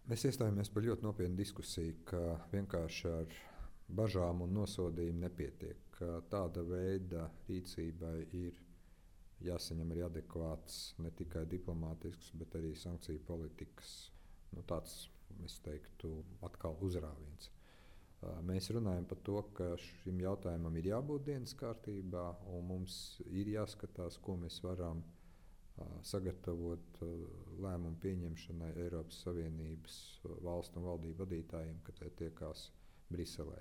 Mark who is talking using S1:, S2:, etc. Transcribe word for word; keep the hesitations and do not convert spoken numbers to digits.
S1: Mēs iestājāmies par ļoti nopietnu diskusiju, ka vienkārši ar bažām un nosodījumu nepietiek. Ka tāda veida rīcībai ir jāsaņem arī adekvāts ne tikai diplomātisks, bet arī sankciju politikas nu, tāds, es teiktu, atkal uzrāviens. Mēs runājam par to, ka šim jautājumam ir jābūt dienas kārtībā, un mums ir jāskatās, ko mēs varam sagatavot lēmumu pieņemšanai Eiropas Savienības valstu un valdību vadītājiem, kad tie tiekās Briselē.